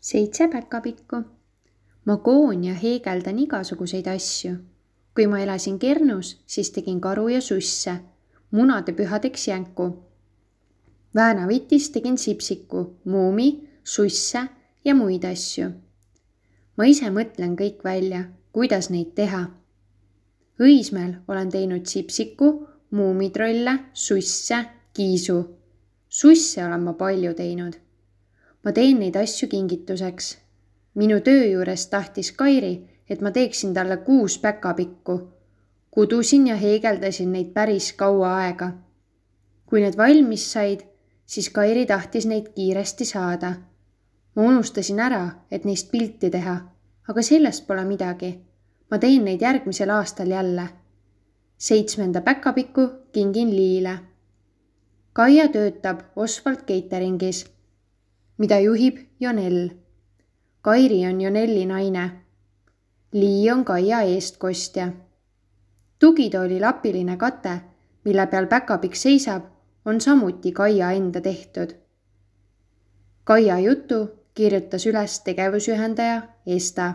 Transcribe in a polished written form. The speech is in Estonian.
7 päkapikku. Ma koon ja heegeldan igasuguseid asju. Kui ma elasin Kernus, siis tegin karu ja susse, munade pühadeks jänku. Väänavitis tegin sipsiku, muumi, susse ja muid asju. Ma ise mõtlen kõik välja, kuidas neid teha. Õismäel olen teinud sipsiku, muumitrolle, susse, kiisu. Susse olen ma palju teinud. Ma teen neid asju kingituseks. Minu töö juures tahtis Kairi, et ma teeksin talle 6 päkapikku. Kudusin ja heegeldasin neid päris kaua aega. Kui need valmis said, siis Kairi tahtis neid kiiresti saada. Ma unustasin ära, et neist pilti teha, aga sellest pole midagi. Ma teen neid järgmisel aastal jälle. 7. päkapikku kingin Liile. Kaia töötab Oswald Cateringis, mida juhib Jonell. Kairi on Jonelli naine. Lii on Kaia eestkostja. Tugitooli lapiline kate, mille peal päkapikk seisab, on samuti Kaia enda tehtud. Kaia jutu kirjutas üles tegevusühendaja Esta.